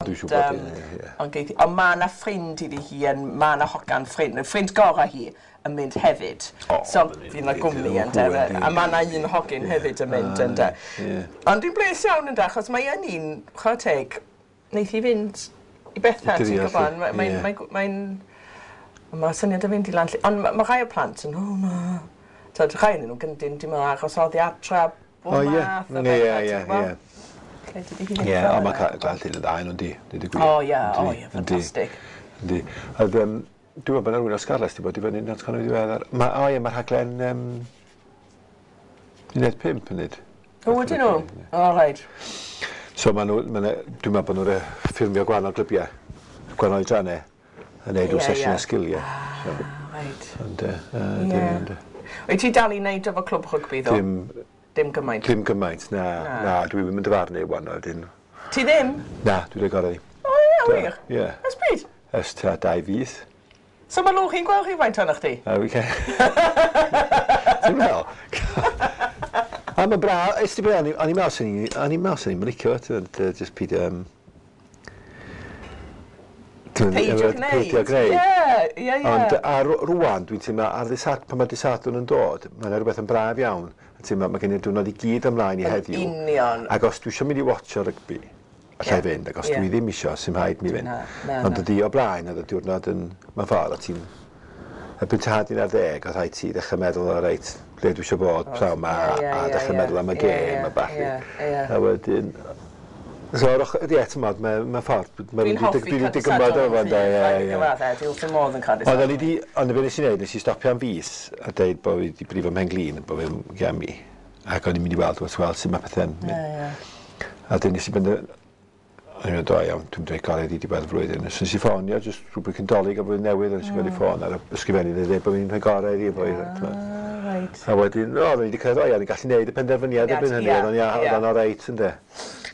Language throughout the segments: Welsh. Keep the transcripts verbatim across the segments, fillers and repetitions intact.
Dwi'n siŵr bod, yym, ie, ie. Ond geith, ond mae yna ffrind iddi hi yn, mae yna hogan ffrind, y ffrind gorau hi yn mynd hefyd. O, so bydden fydd yna ni'n gwmni mynd yn de, iddo nhw, a mae yna un hogyn hefyd yn mynd yn de. Ie. Ond dwi'n bles iawn yn de, achos mae yn un, chwarae teg, wneith hi fynd i bethau, ti'n Drio, gwybod, lly. mae'n Ie. mae'n mae'n mae syniad o fynd i lan lle, ond mae ma rhai o plant yn, o na, Tyd, rhai yn nhw'n gyndyn, dim yn agos oddi adra, bob O, ie. math o Ie, bethau, ie, ti'n gwbod? ie. Lle dydi hi ddim Ie, fel ond mae yna. Glan Llyn yn dda yn di, dweud y gwir. O, ie, o, Yndi, ie, yndi. ffantastig. Yndi. Oedd, um, dwi'n meddwl bod yna rhywun o Scarlets wedi bod i fyny Nant Conwy ddiweddar. Ma, o ie, mae'r rhaglen um, uned pump yn nid. O, ydyn nhw? O, reit. So ma nhw, ma dwi'n meddwl bod nhw'n ffilmio gwahanol glybiau, gwahanol oedrannau, yn neud rhyw Ie, sesiwn ie. o sgiliau. So, Ah, reit. ond, yy, yy, Ie. dim, ond, Wyt ti dal i wneud efo clwb rygbi, ddo? dim, Dim gymaint. dim gymaint, na, Na. na, dwi ddim yn dyfarnu wan, wedyn. Ti ddim? Na, dwi'n rhoi gorau. O, ie, wir. Ie. Ers pryd? Ers tua dau fis. So mae Lwch i'n gweld rhywfaint o'n chdi? A we can. Ti'n meddwl? A mae'n braf, ys ti beth, o'n i'n meddwl sy'n i'n, o'n i'n meddwl sy'n i'n licio, ti'n meddwl, just peidio, um, ti'n Peidio meddwl, gwneud. Peidio gwneud. Ie, ie, ie. Ond ar rwan, dwi'n teimlo, ar ddydd Sad, pan mae dydd Sadwrn yn dod, mae'n rhywbeth yn braf iawn. Yn teimlo, mae gen i'r diwrnod i gyd ymlaen i heddiw. Union. Ac os dwi eisiau mynd i watcho rygbi, allai Ie. fynd, ac os Ie. dwi ddim isio, sy'n rhaid mi fynd. Na, na, Ond na. ydi o blaen, oedd y diwrnod yn, mewn ffordd, o ti'n, erbyn tua un ar ddeg, oedd rhaid ti ddechrau meddwl, o reit, ble dwi eisiau bod, pnawn ma, Ie, ie, a ie, dechrau ie. meddwl am y Ie, gêm ie, a ballu. ie, ie. A wedyn, so, yr ochr, ie, ti'n modd, mae ma ffordd, mae Dwi'n hoffi dwi wedi cadw gymryd Sadwrn o fan, rhydd, ie, rhaid ie. gyfadde, dwi wrth fy modd yn cadw Ond o'n i di, ond be nes i wneud, nes i stopio am fis a deud bod fi wedi brifo mhen-glin, bod fi'n gemi. Ac o'n i'n mynd i weld, wrth weld sut mae pethau'n mynd. Ie, ie. A dyn nes i bend... O'n i'n mynd, o iawn, dwi'n dweud gorau i di diwedd y flwyddyn. So nes i ffonio, jyst rhywbeth cyn Dolig a flwyddyn newydd, a nes i mm. ffôn ar ysgrifennu, a dweud bod fi'n rhoi gorau iddi. bo fi- Ah, reit. A wedyn, o, o'n i wedi cael, o, ia, o'n i'n gallu neud y penderfyniad erbyn hynny, Ie, oedd o'n ia- ie. oedd o'n oreit, ynde.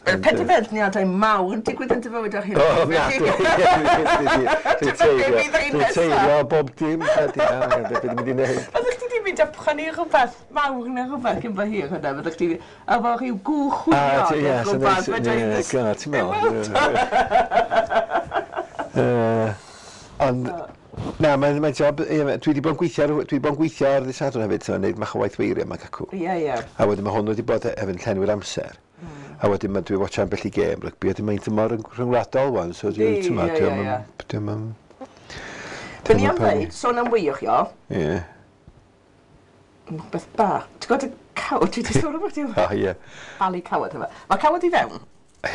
Y penderfyniadau mawr yn digwydd yn dy fywyd ar hyn. O, na, dwi'n Be' teithio, fydd yr un dwi'n nesa? teithio bob dim, ydy, na, beth dwi'n mynd i wneud. Fyddech chdi 'di mynd a prynu rhywbeth mawr neu rhywbeth cyn bo hir hwnna, fyddech chdi efo rhyw gwch A, hwylio ti- ie, neu so rhywbeth, neis, fedra i ie, jyst- God, ti'n meddwl? Yy, Ond, na, mae'n mae job, ie, dwi wedi bod yn gweithio ar, dwi wedi bod yn gweithio ar ddydd Sadwrn hefyd, so, yn neud mach o waith weirio yma cacw. Ie, ie. A wedyn mae hwn wedi bod hefyd yn llenwi'r amser. A wedyn mae dwi'n watch ambell i gêm rygbi, a wedyn mae'n tymor yn rhyngwladol wan, so dwi'n, Yndi, ti'n ie, dwi'n, ie, ie. dwi'n, dwi'n, Dyn ni am ddeud, sôn am weirio, Ie. beth bach. Ti'n gwybod y cawod, dwi wedi sôn am chdi O, ie. balu cawod yma. Mae cawod i fewn.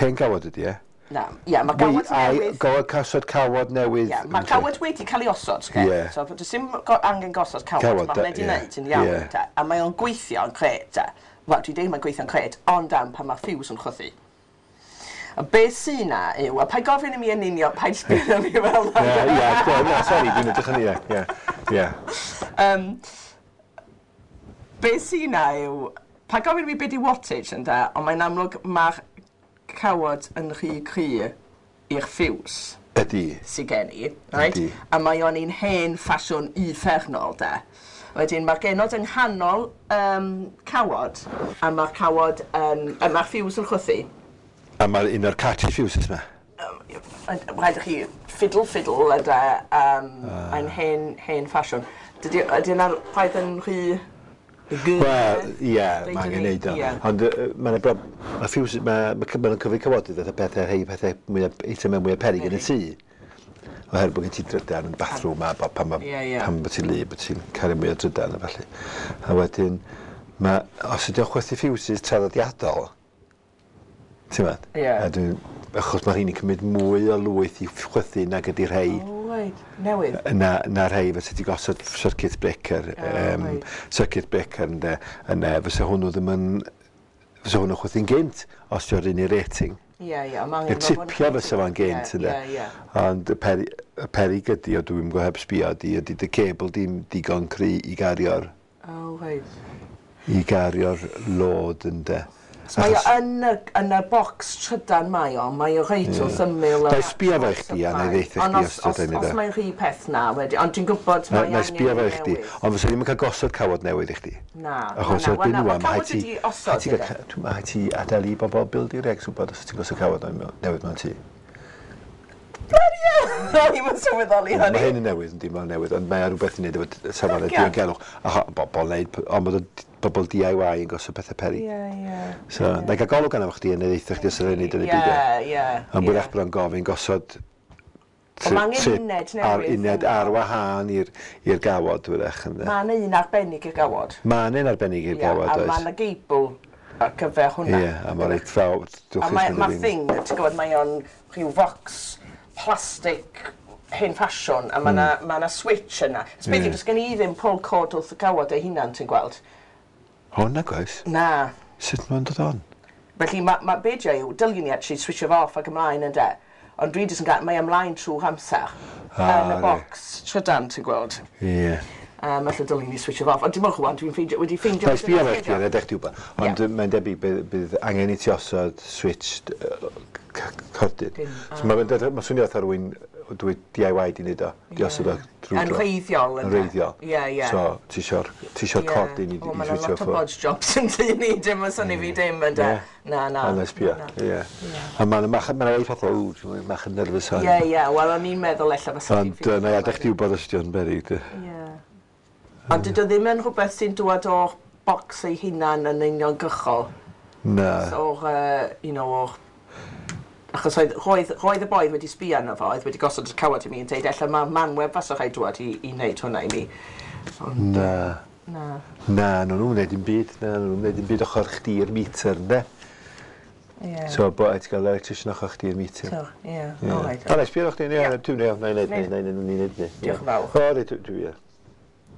Hen gawod ydi, e? Na, ie, mae gawod Wei, ai, newydd. Gawod casod cawod newydd. Ie, mae cawod wedi cael ei osod, oce? Ie. So, does dim go angen gosod cawod, Cawod, mae hwnna wedi ie. wneud yn iawn, Ie. te. A mae o'n gweithio'n grêt, te. Wel, dwi dweud mae'n gweithio'n grêt, ond am pan mae ffiws yn chwythu. A beth sy'n na yw, a paid gofyn i mi yn union, paid sbio fi fel Ie, na. ie, ie, na, sori, dwi'n edrych yn ie, ie, ie. Um, beth sy'n na yw, paid gofyn i mi beth i wattage ynde, ond mae'n amlwg mae'r cawod yn rhy cry i'r ffiws Ydy. sydd gen i, right? Ydi. A mae o'n un hen ffasiwn uffernol, de. Wedyn mae'r genod yng nghanol um, cawod, a mae'r cawod yn... a mae'r ffiws yn chwythu. A mae'r un o'r cartridge fuses ma. Um, rhaid i chi fiddle fiddle yde, um, uh. yn hen, hen ffasiwn. Dydy, ydy yna'r ffaith yn rhy... Wel, ie, Deud mae angen ni, neud o. ie. Ond yy, mae'n brob... Mae ffiws... Mae ma ma nhw'n cyfri cawodydd fatha pethau, rhai pethau mwyaf, eitemau mwyaf peryg yn y tŷ. Oherwydd bod gen ti drydan yn y bathroom a bo- pan ma, Ie, ie. pan bod ti'n wlyb, bod ti'n cario mwy o drydan a felly. A wedyn, mae, os ydy o'n chwythu ffiwsys traddodiadol, ti'n meddwl? Ie. A dwi'n, achos mae rheini'n cymryd mwy o lwyth i chwythu nag ydy rhai Oh, reit. Newydd. na, na rhai fysa ti gosod circuit breaker, Oh, um, reit. circuit breaker ynde, yna, fysa hwnnw ddim yn, fysa hwnnw chwythu'n gynt, os di'r un i rating. Ie, ie. ma' Neu angen fo fod yn tipio fysa fo'n gynt, Ie, ynde. Ie, ie. Ond y peri, y peryg ydi, o dwi'n gwybod heb sbio, ydi, ydi dy cable dim digon cry i gario'r, Oh, reit. i gario'r load ynde. So mae o yn y, yn y bocs trydan mae o, mae o reit wrth ymyl y Na i sbio fo i chdi, a na i ddeutha Ond chdi os, os os, ydyn ni os de. mae'n rhy peth na wedi, ond dwi'n gwybod Na, mae na i angen sbio fo i chdi, newydd. ond fysa ddim yn cael gosod cawod newydd i chdi. Na, Achos na, na, erbyn wel, na, rŵan, ma' mae cawod ti... wedi osod, rhaid ti yde? gael- Dwi'n meddwl, rhaid ti adael i bobl building regs wybod os ti'n gosod cawod newydd mewn tŷ. Bloody hell! O'n i'm yn sylweddoli Mae hynny. hyn yn newydd, yndi, mae'n newydd, ond mae rhywbeth i wneud efo safonau Ie. diogelwch. A ho- bobl wneud, ond bod bobl D I Y yn gosod pethau peryg. Ie, ie. So, na i gael golwg arno chdi yn eitha chdi os ydyn ni dyn ni byd. Ie, ie. Ond bwyrach bod o'n gofyn gosod Ond ma' angen trip uned ar newydd, uned ynddo? ar wahân i'r i'r gawod, wyrach, ynde. Mae yna un arbennig i'r gawod. Mae yna un arbennig i'r Ie, gawod, a oes. mae yna geibl ar gyfer hwnna. Ie, a mae reit fawr. A mae ma thing, ti'n gwybod, mae o'n rhyw focs plastig hen ffasiwn, a mae yna mm. ma switch yna. So beth Ie. yw, does gen i ddim pull cord wrth y gawod ei hunan, ti'n gweld? O, na gwaith. Na. Sut mae'n dod on? Felly mae ma, be di yw, dylen ni actually switcho fo off ac ymlaen yn de. Ond dwi jyst yn gael, mae ymlaen trwy amser. Ah, yn y reit. bocs trydan, ti'n gweld. Ie. Um, Felly dylen ni switcho fo off. Ond dim ond rwan, dwi'n ffeindio, wedi ffeindio. Na i sbio ar chdi, edrych di wybod. Ond Ie. mae'n debyg bydd, bydd angen i ti osod switch yy, c- cordyn. Dyn, So mae'n ma swnio fatha rhywun dwi D I Y di wneud o, di osod o drwy Yn dro. wreiddiol. Yn Ynde? wreiddiol. Ie, ie. So, ti isio'r ti isio'r Ie. cordyn i, O, i ma' 'na switcho lot o ffwrdd. bodge jobs yn tŷ ni, dim yn synnu fi dim, ynde. Ie. Na, na. A na i sbio, Na, ie. A mae'n mach, mae'n rhai pethau, ww, dwi'n mach yn nerfus o'n. Ie, ie, wel, o'n i'n meddwl ella fysa Ond yy, na i adeg chdi wybod os ydi o'n beryg, dy. Ie. Ond dydy o ddim yn rhywbeth sy'n dŵad o'r bocs ei hunan yn uniongyrchol. Na. So, o'r, uh, you know, o'r... Achos oedd, roedd, roedd y boi wedi sbio arno fo, oedd wedi gosod y cawod i mi yn deud, ella mae Manweb fasa rhaid dŵad i, i wneud hwnna i mi. Ond, Na. na. Na, nhw'n nhw'n wneud dim byd. Na, nhw'n wneud dim byd ochr chdi i'r meter, yndê? Ie. So, bo, ti gael electrician ochr chdi i'r meter. So, ie, Ie. all right. O, na i sbio chdi, ie, Ie. dwi'n iawn, na i wneud, Neud. na i wneud, na i wneud, na i Diolch yn fawr. O, reit, dwi, dwi, ie.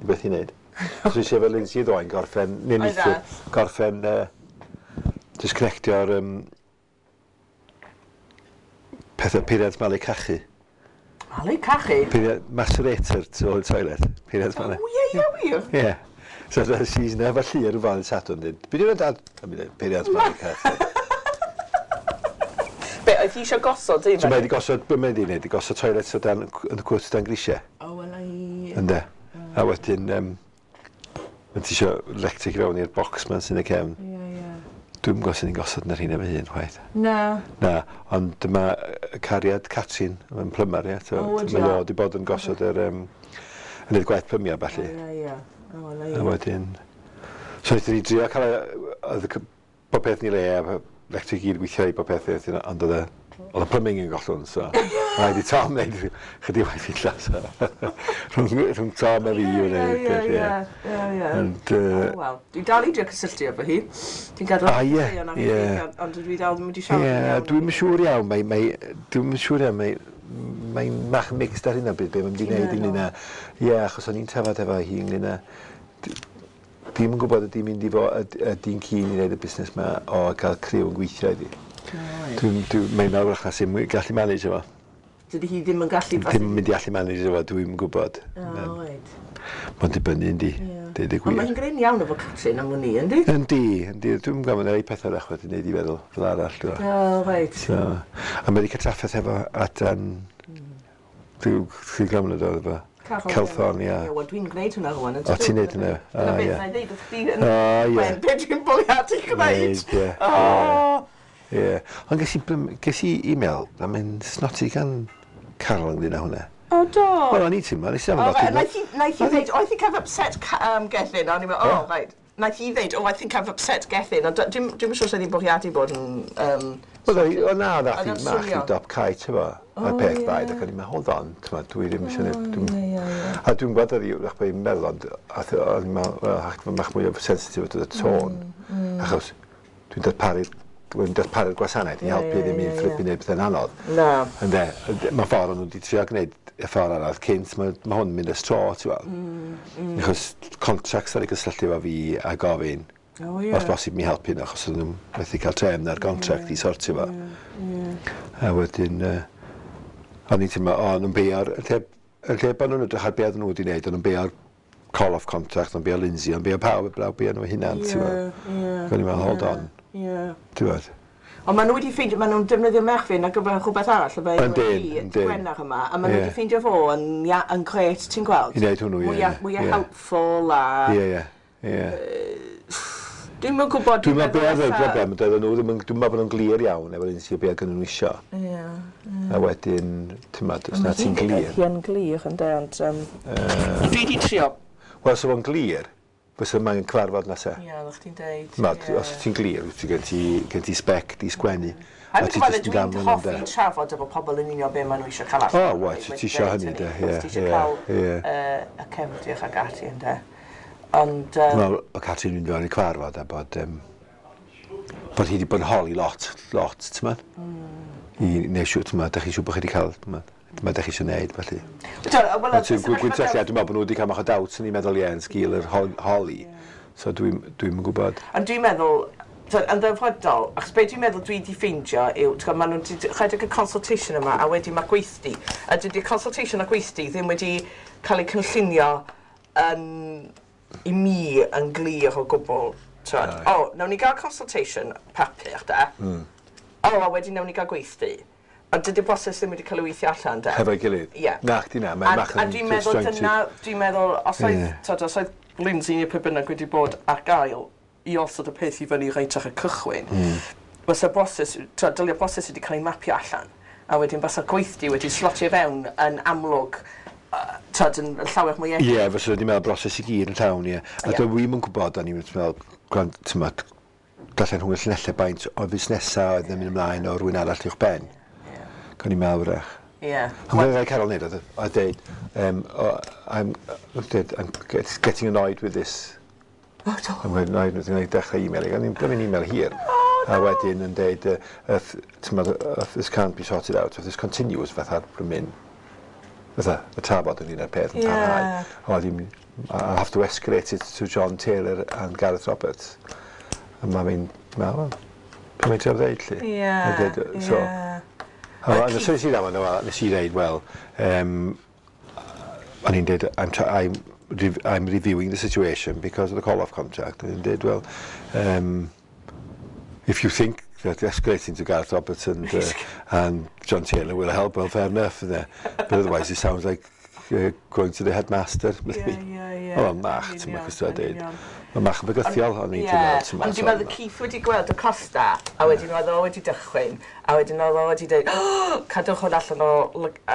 Beth i wneud. So, eisiau efo Lindsay ddoen gorffen, neu Oedd neithiwr, e? gorffen, uh, disconnectio'r um, pethau peiriant malu cachu. Malu cachu? Peiriant, macerator tu ôl i'r toilet. Peiriant malu. O, ie, ie, wir. Ie. So, she's never llir rhyw fan Sadwrn, dweud, "Be di hwnna, Dad?" A mi dweud, "Peiriant malu cachu." Be, oedd hi eisiau gosod, dim? So mae wedi gosod, be mae wedi wneud, wedi gosod toilet o dan, yn y cwt dan grisiau. O, wel, i. Ynde. A wedyn, um, mae ti eisiau electric i fewn i'r box ma'n sy'n y cefn. Ie, ie. Dwi'n gwybod sy'n ni'n gosod yn yr hyn efo hun, chwaith. Na. Na, ond dyma yy, cariad Catrin, mae'n plymar, ie. So, O, ydi mae o? o wedi bod yn gosod yr... Um, yn neud gwaith plymio, felly. Ie, ie. O, wel, i. A wedyn... So wnaethon ni drio cael... y- Oedd y c- bob peth ni le, a electric i gyd gweithio i bob peth, ond oedd y oedd y plumbing yn gollwng, so rhaid i Tom wneud chydig waith i so. rhwng, rhwng Tom a fi i Ie, wneud ie, peth, ie, ie. ie, ie. Ond, yy, O, wel, dwi'n dal i drio cysylltu efo hi. Dwi'n gadw Ah, ie, ie. ie. Ond dwi dal ddim wedi siarad Ie, yn iawn. dwi'n siŵr iawn, mae, mae, dwi'n siŵr iawn, mae, mae'n mach yn mixed ar hyn o bryd, be mae'n mynd i Ti'n wneud ynglyn â, ie, achos o'n i'n trafod efo hi ynglyn â, d- dim yn gwybod ydy mynd i fod ydy'n keen i wneud y busnes ma o gael criw yn gweithio iddi. Dwi'n, dwi, mae'n meddwl wrach na sy'n gallu manage efo. Dydy hi ddim yn gallu. Ddim yn mynd i allu manage efo, dwi'n gwybod. O, reit. Mae'n dibynnu, yndi, Ie. deud y Ond mae gwir. hi'n grin iawn efo Catrin am wn i, yndi? Yndi, yndi, dwi'n gwybod, mae'n rhai pethau wrach wedi wneud i feddwl fel arall, dwi'n O, reit. So, a mae wedi cael trafferth efo adran, dwi'n dwi'n gwybod yn dod efo. Carol, Celthon, ie. Ie, wel, dwi'n gwneud hwnna rwan. O, ti'n neud hwnna? Dyna Ah, beth ie. na i ddeud wrth chdi yn O, ie. Gwen, be dwi'n bwriadu gwneud. Neud, ie. O! Ie. Ond ges i, ges i e-mail a mynd snotty gan Carol ynglyn â hwnna. O, do. Wel, o'n i teimlo, nes i O, am right, naeth hi naeth hi ddeud, "Oh, I think I've upset Ca- um, Gethin." A o'n i'n meddwl, "Oh, right." Naeth hi ddeud, "Oh, I think I've upset Gethin." Ond dwi'n dwi'n siŵr sydd hi'n bwriadu bod yn... Um, Wel, o na, nath Oedd hi o'n mach i swnio. dop cait efo. A'r O, peth ie. baid, ac o'n i'n meddwl, "Hold on, t'mod, dwi ddim eisiau neud." Ie, Dwi'n ie, ie. A dwi'n gwybod oedd hi wrach bod hi'n meddwl, ond ath- o'n i'n meddwl, wel, ach, mach mwy o sensitif at y tôn. Mm, Achos dwi'n darparu'r dwi'n darparu'r gwasanaeth i Ie, helpu ie, ddim i ie, ie. ffripu neud pethau'n anodd. Na. Ynde, mae ffordd o'n nhw wedi trio gwneud y ffordd arall cynt, mae, ma hwn yn mynd ers tro, ti'n weld. Mm, mm. Achos contracts ar ei gysylltu efo fi a gofyn, O, ie. os bosib mi helpu nhw, achos o'n nhw'n methu cael trefn ar contract i sortio fo. Ie, ie. A wedyn, uh, o'n i'n teimlo, o, nhw'n beio'r, yn lle, yn lle bod nhw'n edrych ar be oedden nhw wedi gwneud, o'n nhw'n beio'r call off contract, o'n beio Lindsay, o'n beio pawb, heblaw beio nhw hunan, ti'n gweld. Ie, ie. O'n i'n meddwl, "Hold on." Ie. Ti'n gweld. Ond maen nhw wedi ffeindio, maen nhw'n defnyddio merch fi ar gyfer rhywbeth arall, efo Yndyn, hi, yndyn. Gwenach yma, a maen nhw Ie. wedi ffeindio fo yn, ia, yn gret, ti'n gweld? I wneud hwnnw, ie. Mwyaf, mwyaf ie. helpful a Ie, ie, ie. Dwi'n yn gwybod. Dwi'n meddwl beth oedd y broblem, doedden nhw ddim yn, dwi'n meddwl bod nhw'n glir iawn efo'r un sy'n beth gynnu nhw isio. Ie. A wedyn, ti'n meddwl, os na ti'n glir. Hi yn glir, ynddo, ond... Um, dwi wedi trio. Wel, so fo'n glir, fysa mae'n cyfarfod na se. Ie, oeddech chdi'n deud. Mad, os ti'n glir, wyt ti gen ti, gen ti spec di sgwennu. A ti jyst yn dwi'n hoffi trafod efo pobl yn union be maen nhw eisiau cael allan. O, wel, ti isio hynny, de, ie. Ti eisiau cael y cefndir ag ati, ynde. Ond... Wel, o Catrin mynd fewn i cyfarfod a bod... Um, bod hi wedi bod yn holi lot, lot, ti'n man? I neud siŵr, ti'n man, da chi'n siŵr bod chi wedi cael, ti'n man, dyma da chi eisiau neud, felly. Wel, Gwyntelliad, dwi'n meddwl bod nhw wedi cael mach o doubt yn ei meddwl ie, yn sgil yr holi. So dwi'n dwi'n gwybod. Ond dwi'n meddwl, yn ddelfrydol, achos be dwi'n meddwl dwi wedi ffeindio yw, ti'n gwbod, maen nhw'n rhedeg y consultation yma, a wedyn mae gweithdy. A dydy'r consultation a gweithdy ddim wedi cael eu cynllunio yn, i mi yn glir o gwbl. O, nawn ni gael consultation papur, de. Mm. O, a wedyn nawn ni gael gweithdy. Ond dydy'r broses ddim wedi cael ei weithio allan, de. Hefo'i gilydd? Ie. Na, chdi na, mae'n mach yn... A dwi'n meddwl dyna, dwi'n meddwl, os oedd, yeah. os oedd Lindsay neu pwy bynnag wedi bod ar gael i osod y peth i fyny reit ar y cychwyn, mm. fysa'r broses, twyd, dylia'r broses wedi cael ei mapio allan, a wedyn fysa'r gweithdy wedi slotio fewn yn amlwg, uh, twyd, yn llawer mwy eich. Ie, yeah, fysa wedi meddwl broses i gyd yn llawn, ie. A yeah. Dwi'n yn gwybod, o'n i'n meddwl, gwrand, tymod, darllen rhwng y llinellau baint o fusnesau oedd yn mynd ymlaen o rhywun arall uwch ben. O'n i'n meddwl wrach. Ie. Ond beth oedd Carol wneud oedd oedd deud, um, oh, I'm, I'm getting annoyed with this. Oh, do. I'm getting annoyed with this. Dechrau e-mail. O'n i'n e-mail hir. Oh, no. A wedyn yn deud, uh, if, tymod, if this can't be sorted out, if this continues, fatha'r mynd, fatha, y trafod yn un o'r peth yn parhau. A wedyn, I'll have to escalate it to John Taylor and Gareth Roberts. A mae'n mynd, wel, be mae'n trio ddeud, lly? Ie, so, A nes i ddweud, nes i dweud, wel, um, o'n i'n dweud, I'm, I'm, I'm reviewing the situation because of the call-off contract. O'n i'n dweud, well, um, if you think that escalating to Gareth Roberts and, uh, and John Taylor will help, well, fair enough. But otherwise it sounds like uh, going to the headmaster. Yeah, yeah, yeah. O, mach, ti'n mach ystod dweud. Mae mach yn bygythiol, o'n i'n teimlo. Ond dwi'n meddwl Keith wedi gweld y costa, a wedyn oedd o wedi dychwyn, a wedyn oedd o wedi dweud, oh, cadwch hwn allan o,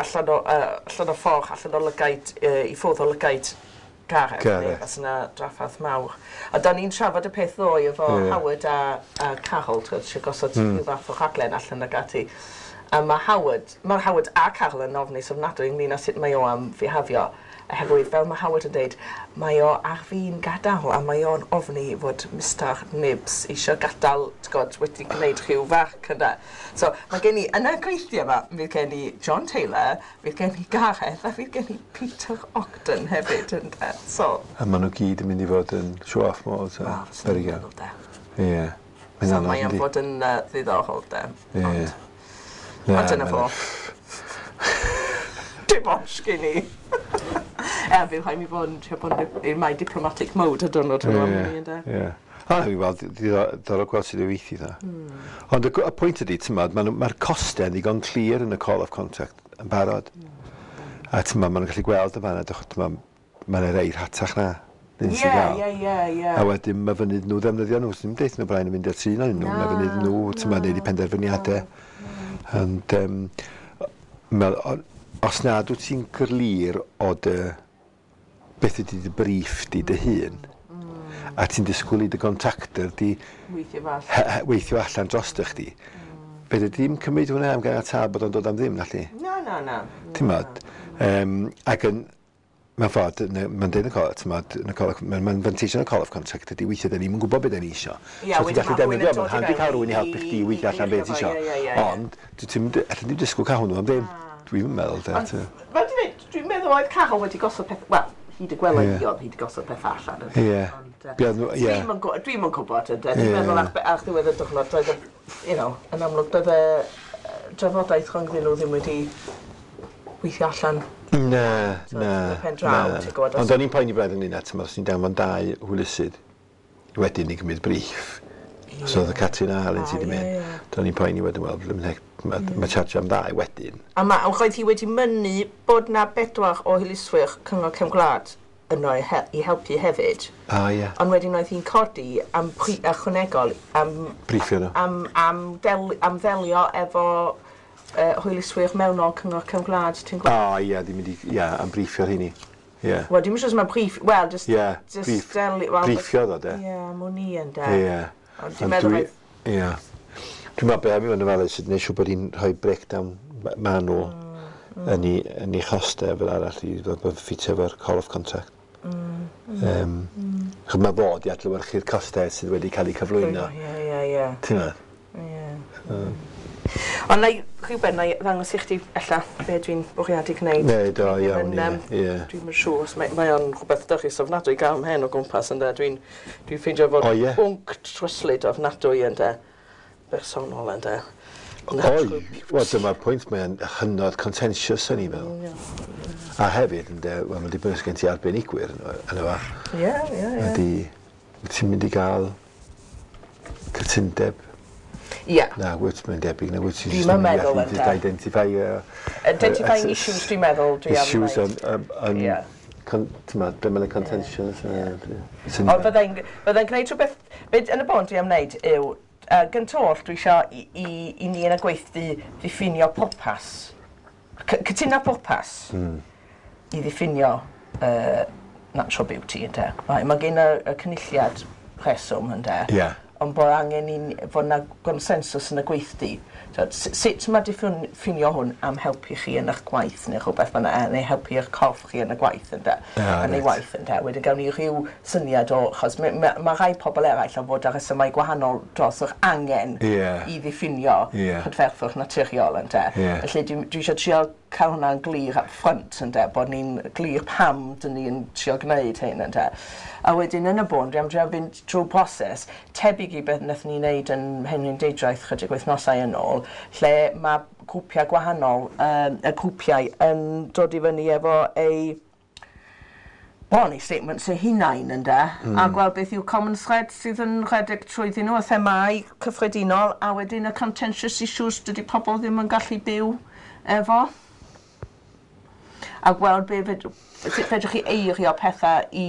allan o, uh, allan o ffordd, allan o lygaid, uh, i ffwrdd o lygaid Gareth, neu fas yna draffath mawr. A da ni'n trafod y peth ddoe efo yeah. Howard a, a Carol, ti'n gwybod, gosod mm. rhyw fath o rhaglen allan ag ati. A mae Howard, mae Howard a Carol yn ofnus ofnadwy ynglyn â sut mae o am fihafio. Oherwydd, fel mae Howard yn dweud, mae o ar fin gadael a mae o'n ofni fod Mister Nibs eisiau gadael, ti'n gwybod, wedi gwneud rhyw farc yna. So, mae gen i, yn y gweithio yma, fydd gen i John Taylor, fydd gen i Gareth, a fydd gen i Peter Ogden hefyd, ynde. So, a maen nhw gyd yn mynd i fod yn show-off mode. So, well, fysen ni'n meddwl, de. Ie. So, mae o'n fod yn uh, ddiddorol, de. Ie. Ond, ond dyna fo. Dim ots gen i. Er, fydd rhaid mi fod yn trio bod in my diplomatic mode a diwrnod hwnnw am hynny, ynde? Ie. A fi weld, diddorol gweld sydd ei weithio dda. Ond y pwynt ydy, ti'n meddwl, mae'r costau yn ddigon clir yn y call of contract yn barod. A ti'n meddwl, maen nhw'n gallu gweld y fan, a ti'n meddwl, mae'n rei rhatach na. Ie, ie, ie, ie. A wedyn mae fyny nhw ddefnyddio nhw, ddim deith nhw brain yn mynd i'r tŷ nhw, mae fyny nhw, ti'n meddwl, neud i penderfyniadau. Ond, os nad wyt ti'n glir o dy beth ydy dy brief di dy hun, mm. a ti'n disgwyl i dy gontactor di weithio allan, weithio allan drosto chdi, mm. fe dy ddim cymryd hwnna am ganiatâd bod o'n dod am ddim, nalli? Na, na, na. Ti'n modd, um, ac yn, mewn ffordd, mae'n deud yn y call, ti'n modd, mae'n mae'n fanteisio yn y call of contract ydy weithio, da ni'm yn gwybod beth da ni isio. Ia, so ti'n gallu defnyddio, mae'n handi cael rhywun i helpu chdi weithio allan beth ti isio. Ond, ti'n allan ddim disgwyl cael hwnnw am ddim. Dwi'n meddwl, de. Fel dwi'n dweud, dwi'n meddwl oedd Carol wedi gosod peth, wel, hyd y gwela i oedd hi wedi gosod peth allan. Ie. Dwi'm yn gwybod, ynde. Dwi'n meddwl ar ddiwedd y diwrnod, doedd y, you know, yn amlwg, doedd y drafodaeth rhyngddyn nhw ddim wedi weithio allan. Na, na, pen draw, na. Ti'n gwybod. Ond o'n i'n poeni braidd ynglyn â, ti'n meddwl, os ni'n danfon dau hwylusydd, wedyn ni'n cymryd briff. So oedd y Catrin a Alun sydd wedi mynd. Do'n i'n poeni wedyn, wel, mae ma charge am ddau wedyn. A ma, roedd hi wedi mynnu bod na bedwar o hwyluswyr Cyngor Cefn Gwlad yno i, hel i helpu hefyd. Ah, ie. Ond wedyn oedd hi'n codi am pri ychwanegol am Briffio nhw. am, am, del, am ddelio efo uh, hwyluswyr mewnol Cyngor Cefn Gwlad, ti'n gwybod? Ah, ie, di mynd i, ie, am briffio'r hynny. Ie. Wel, dwi'n siŵr os mae'n briff... Wel, just... Ie, just briff. Deli, well, Briffio ddo, de. Ie, mwyn i yn de. Ie. Ond dwi'n meddwl... dwi- Ie. Dwi'n meddwl be am i fod yn ofalus sydd wneud siŵr bod hi'n rhoi breakdown ma- manwl Mm, yn ei, yn ei chostau fel arall i fod yn ffitio efo'r call of contract. Mm, Um, Chos mae fod i adlewyrchu'r costau sydd wedi cael eu cyflwyno. Ie, ie, ie. Ti'n meddwl? Ie. Ond na i, rhywbeth na i ddangos i chdi ella be dwi'n bwriadu gwneud. Ne, do, Dwi ddim iawn, yn, ie, yym, ie. Dwi'm yn siŵr, os mae, mae o'n rhywbeth dychus ofnadwy i gael mhen o gwmpas ynde. Dwi'n dwi ffeindio fod O, ie. bwnc tryslyd ofnadwy ynde. Bersonol ynde. Oi, wel dyma'r pwynt, mae'n hynod contentious yn i'n meddwl. A hefyd, ynde, wel, mae'n dibynnu os gen ti arbenigwyr yno yno fo. Ie, ie, ie. Ydy, ti'n mynd i gael cytundeb? Ie. Na, wyt, mae'n debyg, na wyt ti'n Dwi'm jyst yn yn mynd i meddwl, allu ynde. just identify... Uh, Identifying uh, issues dwi'n meddwl dwi am Issues wneud. yn... yn, Ie. con, ti'n meddwl, be mae'n contentious? Ie. Ond fyddai'n fyddai'n gwneud rhywbeth, beth yn y bôn dwi am wneud yw, uh, gyntaf oll dwi eisiau i, i, i ni yn y gweithdy ddiffinio pwrpas, C cytuno pwrpas Mm. i ddiffinio uh, natural beauty, ynde. Mae, mae gen y, y cynulliad rheswm, ynde. Ie. Ond bod angen i ni- fod yna gonsensus yn y gweithdy. So, s- sut mae diffinio hwn am helpu chi yn eich gwaith neu rhywbeth fel 'na, neu helpu eich corff chi yn y gwaith ynde? Ie, yn ei reit. waith ynde. Wedyn gawn ni rhyw syniad o, achos mae ma, ma rhai pobl eraill yn fod ar resymau gwahanol dros yr angen Ie. i ddiffinio Ie. prydferthwch naturiol ynde. Ie. Felly dwi, dwi eisiau trio cael hwnna'n glir up front ynde, bod ni'n glir pam dyn ni'n trio gwneud hyn ynde. A wedyn yn y bôn, dwi am drio fynd trwy proses tebyg i beth wnaethon ni wneud yn Penrhyndeudraeth chydig wythnosau yn ôl, lle mae grwpiau gwahanol, um, y grwpiau yn dod i fyny efo ei bon, eu statements eu hunain ynde, mm. a gweld beth yw common thread sydd yn rhedeg trwyddyn nhw, y themâu cyffredinol, a wedyn y contentious issues dydy pobl ddim yn gallu byw efo. A gweld be fed, sut fedrwch chi eirio pethau i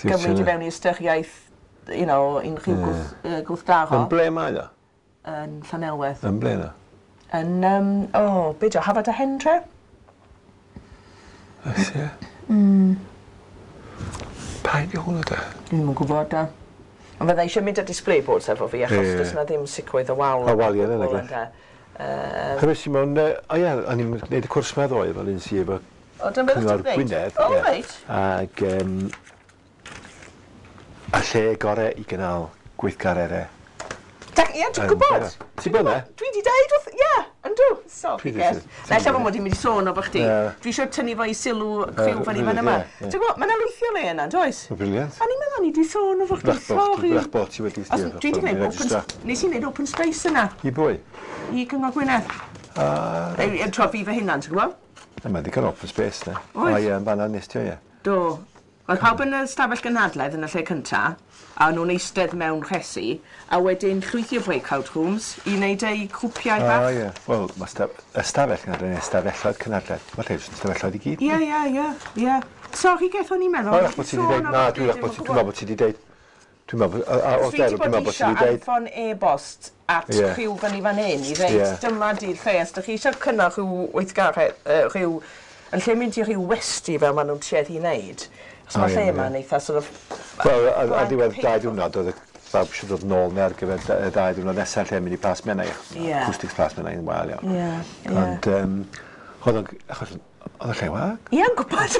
gymryd i fewn i ystyriaeth, you know, unrhyw Ie. gwrth, uh, gwrthdaro Yn ble mae o? yn Llanelwedd. Yn ble na? Yn, um, o, oh, be di o, Hafod a Hendre? Oes, ie. Mm. Pa un 'di hwnna de? Dwi'm yn gwybod da. Ond fydda eisiau mynd â display boards efo fi, achos Ie. does 'na ddim sicrwydd o wal. O, waliau yna, o nag ynde. Yym, Hefyd si mewn... yy, O ie, o'n i'n gwneud y cwrs 'ma ddoe, fel un sy efo O, dyna beth Cyngor ti'n gwneud? Gwynedd. O, ie. reit. Ag, um, a lle gore i gynnal gweithgareddau. Da- Ie, dwi'n gwybod. Ti bod 'na? Dwi 'di deud wrth... Ie, yndw. Sorry, Dwi 'di Geth. sôn. Na, ella fod mod i'n mynd i sôn o chdi. Ie. Dwi eisiau tynnu fo i sylw criw fan i fan ie, yma. ie. Ti'n gwybod, mae yna lwythi o le yna, does? Mae'n brilliant. A ni'n meddwl ni 'di sôn o fo chdi, Wrach bod sorry. wrach bod ti wedi... Os, dwi 'di gwneud open... Nes i wneud open space yna I bwy? i Gyngor Gwynedd. Ah, E, e, Tro fi fy hunan, ti'n gwybod? Mae ddigon open space, ne? Oes. O ie, yn fan'na nes ti o, ie. Do. Oedd pawb yn y stafell gynhadledd yn y lle cynta, a nhw'n eistedd mewn rhesi, a wedyn llwythi o breakout rooms i wneud eu grwpiau O bach. ie. Wel, mae sta- ystafell cynhadledd neu ystafelloedd cynhadledd. Mae lle jyst yn ystafelloedd i gyd. Ie, ie, ie, ie. Sorry, Geth, o'n i'n meddwl. O, wrach bod ti wedi deud... Na, dwi'n wrach bod ti... Dwi'n meddwl bod ti wedi deud... Dwi'n meddwl... A, a, o Dwi wedi derw, dwi'n bod meddwl bod ti eisiau wedi deud... anfon e-bost at Ie. rhyw fyny fan hyn i ddeud Ie. dyma di'r lle, os ydych chi eisiau cynnal rhyw weithgaredd, uh, rhyw, yn lle mynd i rhyw westy fel maen nhw'n tueddu i wneud. Achos O, mae'r ie, lle ie. yma'n eitha sort of... Wel, ar, ar blank ddiwedd dau paper. diwrnod, oedd y bawb eisiau dod nôl neu ar gyfer da- y dau diwrnod nesaf lle mynd i Plas Menai. Ie. Acoustics Plas Menai yn wael iawn. Ie, ie. Ond, um, oedd o'n... Achos, oedd y lle wag. Ie, yn gwybod.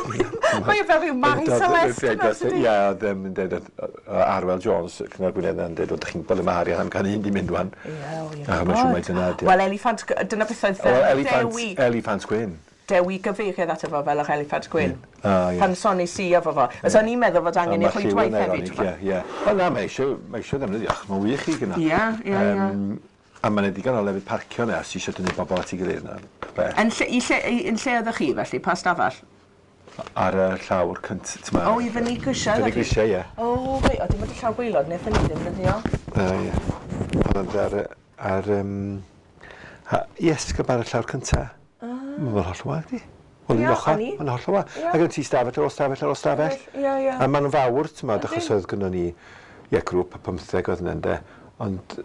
Mae e fel rhyw Marie Celeste yna, sydd Ie, oedd yym yn deud, oedd, yy, Arwel Jones, Cyngor Gwynedd yn deud, "Wel, dych chi'n gwybod y mae arian am gael un di mynd wan." Ie, o, ie. Ac mae'n siŵr mai dyna ydi o. Wel, eliffant, dyna beth oedd Wel, eliffant, Dewi, eliffant gwyn. Dewi gyfeiriad ato fo fel yr eliffant gwyn. Ah, ie. Pan sonis i efo fo. Os o'n i'n meddwl fod angen A i ma' lliw yn rhwydwaith ironic, hefyd. Ie, ie. Wel na, mae eisiau, mae eisiau ddefnyddio, achos mae'n wych i gyna. Ie, ie, ie. A mae'n ddigon o lefydd parcio yna, os ti eisiau dynnu bobl at ei gilydd yna. Be? Yn lle, i lle, i- yn lle oeddech chi, felly, pa stafell? Ar y llawr cynt, ti'n O, i fyny grisiau. Fyny oeddech chi? grisiau, ie. O, reit, o, dim ond y llawr gwaelod, wnaethon ni ddefnyddio. Na, ie. Ond ar, y- ar, um, ha, yes, gyda ar y llawr cynta. Ah. Mae'n holl wag di. Wel, un Ie, ochr, o'n i. yn hollol wa. Ie. Ac yn ti stafell ar ôl stafell ar ôl stafell. Ie, ie. A maen nhw'n fawr, ti'n modd, Yndi. achos oedd gynnon ni, ie, grŵp o pymtheg oedd yna, ynde. Ond,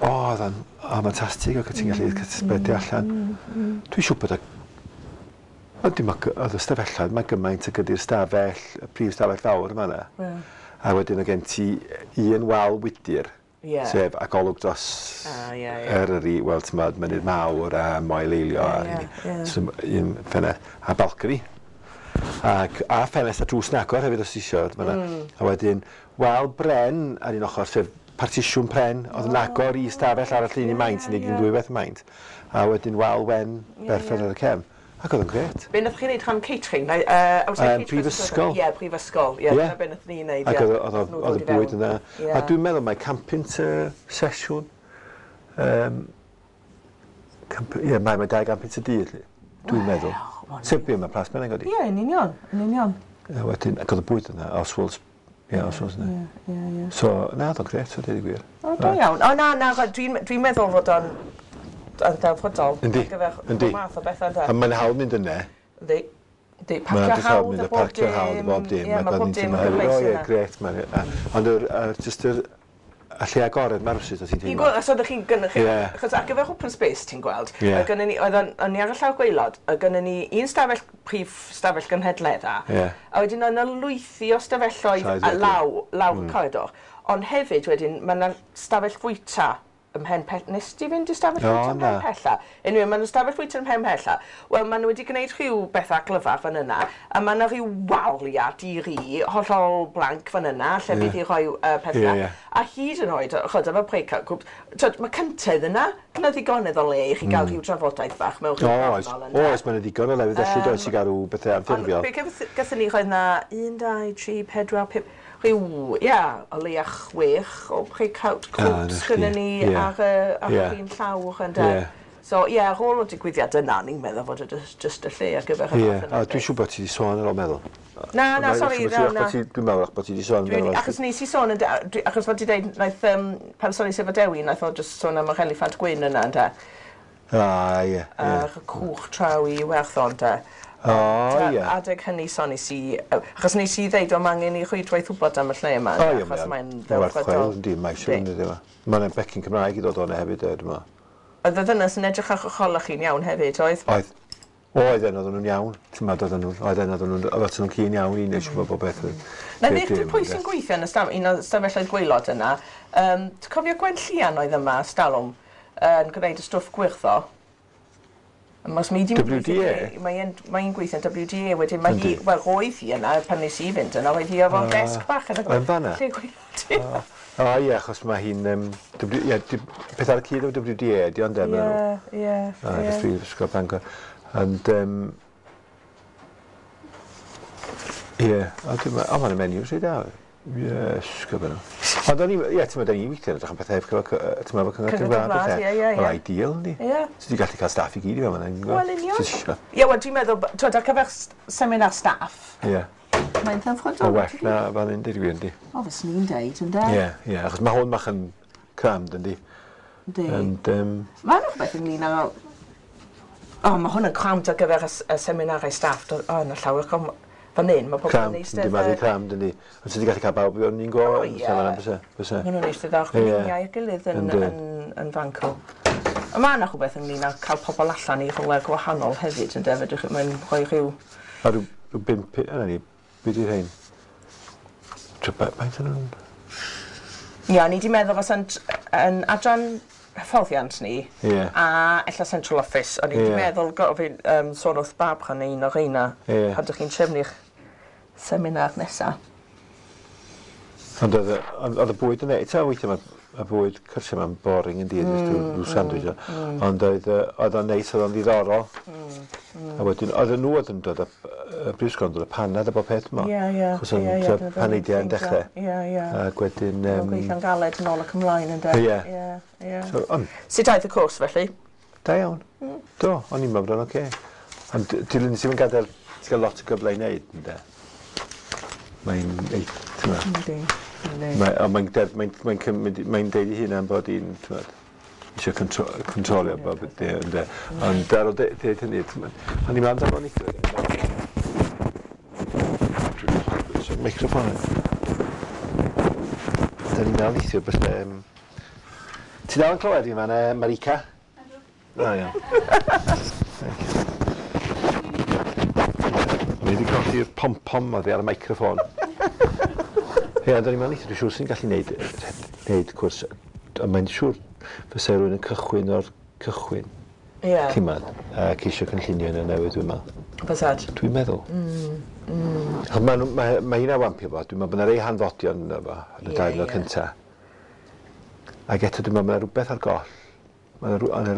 o, oedd o'n, o, ffantastig, ac ti'n gallu spreadio allan. Dwi'n siŵr bod y Ond dim oedd y stafelloedd, mae gymaint ag ydy'r stafell, y prif stafell fawr yma yna. Ie. A wedyn oedd gen ti un wal wydyr, Ie. sef a golwg dros Ah, ie, ie. Eryri, wel, ti'n modd, mynydd mawr a Moel Eilio. a Ie, hynny. ie. So, un ffenest, a balcony. Ac, a ffenest a drws yn agor hefyd os ti isio. Mm. A wedyn, wal bren ar un ochr, sef partisiwn pren, oedd yn agor i stafell arall un i maint, neu ie. yeah, dwy beth maint. A wedyn wal wen Ie, berffaith ie. ar y cefn. Ac oedd yn gret. Be nath chi wneud rhan catering? Neu, uh, outside Yym, catering? prifysgol. Ie, prifysgol. Ie, Ie. dyna be nath ni wneud. Ac ie. oedd oedd- Nath nhw oedd ddod y i bwyd fewn. yna. Ie. A dwi'n meddwl mae can punt y sesiwn. Um, ie, mae mae dau gan punt y dydd, lly. Dwi'n meddwl. ma'n Sef be mae Plas Menai godi. Ie, yn union, yn union. A wedyn, ac oedd y bwyd yna, Oswald's, ie, Oswald's yna. Ie, ie, ie. So, na, oedd o'n gret, o dweud y gwir. O, da iawn. O, na, na, dwi'n dwi meddwl fod o'n yn delfrydol. Yndi, Ar gyfer yndi. pob math o bethau, ynde? A mae'n hawdd mynd yna. Yndi. Yndi, Mae'n parcio jyst hawdd hawdd mynd a a bob parcio dim. hawdd a bob dim. Ie, mae bob dim yn O gyfleus ie, yna. gret. mae'n- a- Ond yr, yr, just yr, y lle agored mae'r rwsut, os ti'n I'n teimlo. gweld, os oeddech chi'n gynnych chi, Ie. achos ar gyfer open space ti'n gweld, Ie. oedd gynnon ni, oedd o'n o'n ni ar y llawr gwaelod, oedd gynnon ni un stafell, prif stafell gynhedledda, Ie. a wedyn oedd yna lwythi o stafelloedd Llai a wedyn. law, lawr mm. y coridor. Ond hefyd wedyn, mae yna stafell fwyta ym mhen pell... Nes ti fynd i stafell O, fwyta ym mhen na. pella? Anyway, mae yna stafell fwyta ym mhen pella. Wel, maen nhw wedi gwneud rhyw bethau glyfar fan yna, a mae yna rhyw waliau di-ri, hollol blank fan yna, lle Ie. bydd i rhoi uh, pethau. Ie, ie. A hyd yn oed, chod, efo breakout groups, twyd, mae cyntedd yna, yna ddigonedd o le i chi gael rhyw trafodaeth bach mewn rhyw Oes, gofal, ynde? oes, mae'n ddigon o lefydd felly does i gael rhyw bethau Ond anffurfiol. be gath- gathon ni roedd na un, dau, tri, pedwar, pump, rhyw, ia, o leia chwech o breakout Ah, groups 'na chdi. gynnon ni Ie. ar y, ar Ie. yr un llawr, ynde? Ie. So, ie, ar ôl y digwyddiad yna, ni'n meddwl fod e just, just y lle ar gyfer y Ie, fath yna a o dwi'n beth. siŵr bod ti wedi sôn ar ôl meddwl. Na, na, sori, na, na. Dwi'n meddwl bod ti wedi sôn Dwi, yn achos nes i sôn, yn de, dwi, achos fod ti dweud, naeth, um, pan sôn i sef o Dewi, naeth o just sôn am yr eliffant gwyn yna, ynde? Ah, ie, ie. Ar y cwch traw i Iwerddon, de. O, Ond, ie. Adeg hynny son i, achos nes i ddeud, o, mae angen i rhwydwaith wybod am y lle yma, O, ie, achos mae'n werth chweil, ddelfrydol. yndi, mae siŵr Yndi. yndi. Mae'n becyn Cymraeg i ddod o'na hefyd, e, dwi'n meddwl. Oedd y ddynes yn edrych ar eich chi'n iawn hefyd, oedd? Oedd. Oedd en, oedden nhw'n iawn. Ti'n meddwl, oedden nhw, oedd en, oedden nhw'n, oedden nhw'n keen iawn i wneud siŵr bod bob beth. Na ddech chi pwy sy'n gweithio yn y staf, un o'r stafelloedd gwaelod yna. Um, ti'n cofio Gwen Llian oedd yma, stalwm, yn gwneud y stwff gwyrddo? Mas mae hi 'di W D A? Mae'n mae hi'n gweithio yn W D A wedyn. Mae hi, Yndi. wel, roedd hi yna pan nes i fynd yna, roedd hi efo Ah, desg bach yn y yn fan'na? lle gwaelod. O, ie, achos mae hi'n... Um, W, ie, di- peth ar y cyd efo W D A, di ond e, Ie, ie, A ie. Prifysgol Bangor. Ond, um, ie, a dwi'n meddwl, o, mae'n menu sydd da. Yes, gyfer nhw. Ond o'n i, ie, ti'n meddwl, ni weithio yn edrych am pethau efo, ti'n meddwl, Cyngor Cyngor Cymraeg, Gwlad, pethau. ie, ie, ie. Wel, ideal, yndi. Ie. Ti wedi gallu cael staff i gyd i fewn yna. Wel, union. Ie, wel, dwi'n meddwl, twyd, ar gyfer s- seminar staff, Ie, mae'n ddelfrydol. o well na fan hyn, dweud gwir, yndi. O, fyswn i'n deud, ynde? Ie, ie, achos mae hwn bach yn crammed, yndi. Yndi. And, um, Mae'n rhywbeth ynglyn â... O, mae hwn yn crammed ar gyfer y, s- y seminarau staff. O, yna llawer com... Fan hyn, mae pobl yn crammed, eistedd... yndi, mae'n crammed, yndi. Ond ti wedi gallu cael bawb i fewn un go, O, yn ie. lle byse, byse. Maen nhw'n eistedd ar Ie. gliniau ei gilydd yn, Yndi. yn, yn fanco. Ond mae yna rhywbeth ynglyn â cael pobl allan i rhywle gwahanol hefyd, yn defyd, mae'n rhoi rhyw... A rhyw, rhyw bump, yna ni, be di rhain? Faint yn nhw'n? Ia, ni di meddwl fysa'n yn adran hyfforddiant ni, Ie. a ella Central Office, o'n i di Ie. meddwl gofyn um, sôn wrth Barbara neu un o'r rheina, Ie. pan dych chi'n trefnu'ch seminar nesa. Ond oedd y- ond oedd y bwyd yn eto, weithio mae y bwyd cyrsiau ma'n boring yn dydd, mm, rhyw sandwich. Mm. Ond oedd, yy, oedd o'n neis, oedd o'n ddiddorol. Mm, A wedyn, oedd nhw oedd yn dod, y brifysgol yn dod â panad a bob peth yma. Ie, ie. Chos o'n Ie, ie, tua dyna be paneidiau yn o'n dechrau. Ie, ie. Ac wedyn... Um, Um, gweithio'n galed yn ôl ac ymlaen, ynde? Ie. Ie, ie. So, ond, Sut aeth y cwrs, felly? Da iawn. Mm. Do, o'n i'n meddwl bod o'n oce. Ond dilyn sy'n gadael, ti'n cael lot o gyfle i wneud, ynde? Mae'n, ei, ti'n meddwl, Yndi. Yndi. Mae, ond mae'n mae'n mae'n mae'n mae'n deud i hunan bod hi'n, ti'n meddwl, Eisiau controlio bob dim, ynde. Ond ar ôl dweud hynny, o'n i'n meddwl amdano neithiwr. Microffon. Da ni'n meddwl neithiwr, bys... Ti dal yn clywed fi fan, Marika? Ydw. O, iawn. Thank you. O'n i wedi colli'r pom-pom oddi ar y microffon. Ie, da ni'n meddwl neithiwr, dwi'n siŵr sy'n gallu neud, neud cwrs, ond mae'n siŵr fysa rhywun yn cychwyn o'r cychwyn. Ie. Ti'n meddwl, a ceisio cynllunio yna newydd, dwi'n meddwl. Bysad? Dwi'n meddwl. Mm, mm. Mae ma, ma hynna wampio fo, dwi'n meddwl bod yna rei hanfodion yna fo, yn y dau mlynedd cynta. Ac eto dwi'n meddwl bod yna rhywbeth ar goll. Mae yna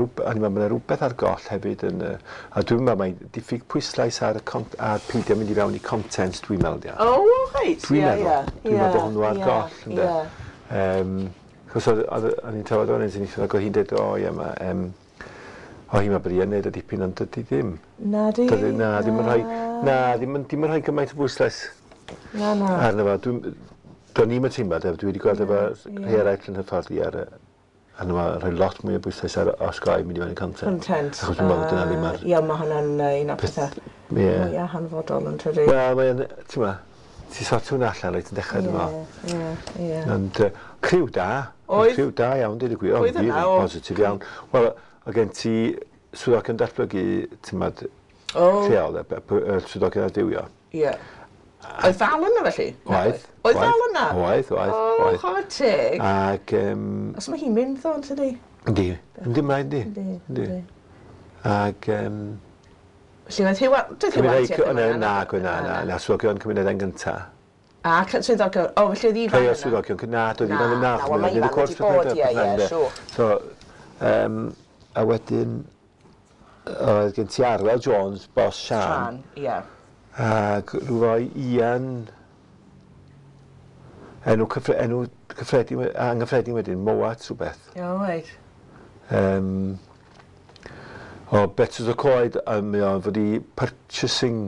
rhywbeth ar goll hefyd yn... A dwi'n meddwl mae diffyg pwyslais ar, y ar peidio mynd i fewn i content, dwi'n meddwl, ia. Oh, reit. Dwi'n meddwl. Dwi'n meddwl bod hwnnw ar goll, ynde. Um, Chos o'n i'n trafod o'n i'n ac oedd hi'n dweud, o ie, ma, um, o hi'n meddwl bod hi yn neud y dipyn, ond dydy ddim. Na di? Dydy, na, ddim yn rhoi, na, ddim yn, ddim yn rhoi gymaint o bwyslais na, na. Arno fo. Dwi'n, do'n i'm yn teimlo, dwi wedi gweld efo rhai eraill yn hyfforddi ar arno fo, rhoi lot mwy o bwyslais ar osgoi mynd i fewn i content. Content. Achos dwi'n meddwl dyna ddim ar... Ie, mae hwnna'n un o'r pethau mwyaf hanfodol yn tydi. Wel, mae'n, ti'n ma, ti'n sortio hwnna allan reit yn dechrau, dwi'n meddwl. Ie, ie. Ond criw da. Oedd? Criw da iawn, dweud y gwir. Oedd yna, o. Positif iawn. Wel, oedd gen ti swyddogion datblygu, ti'n ma, lleol, swyddogion adfywio. Ie. Oedd Val yna felly? Oedd. Oedd Val yna? Oedd, oedd. O, chwarae teg. Ac... Os mae hi'n mynd ddo, yn tydi? Yndi. Yndi, mae yndi. Yndi. Ac... Felly, oedd Hywel... Doedd Hywel ti Na, na, na, na, na, swyddogion cymunedau'n gynta. A, swyddogion... O, felly oedd Ifan yna? Rhai o swyddogion... Na, doedd Ifan yna. Na, na, mae Ifan wedi bod, ie, ie, siŵr. So, a wedyn, oedd gen ti Arwel Jones, boss Sian. Sian, ie. Ac rhyw foi Ian, enw, cyffre, enw cyffredin, anghyffredin wedyn, Mowat rhywbeth. O, reit. Um, o, Betws y Coed, a mae o'n fod i purchasing,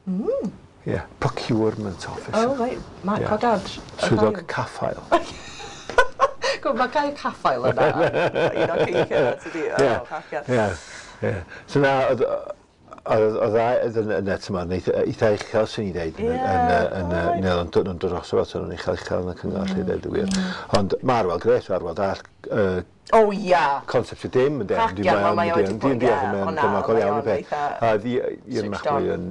mm. yeah, procurement officer. O, reit, Mark yeah. Goddard. Swyddog caffael. Gwyd, mae gair caffael yna. Un o'r ceiciau, tydi? Ie, ie. So na, oedd... Oedd oedd yn et yma, eitha uchel sy'n ei ddeud yn yn dod drosodd fel nhw'n uchel uchel yn y cyngor, lle dweud y gwir. Ond mae Arwel gret, Arwel dall. O ia! Concept o dim, ynddo. Ia, mae o wedi bod, ia. Mae'n gefnogol iawn y peth. A ddi i'n machwy yn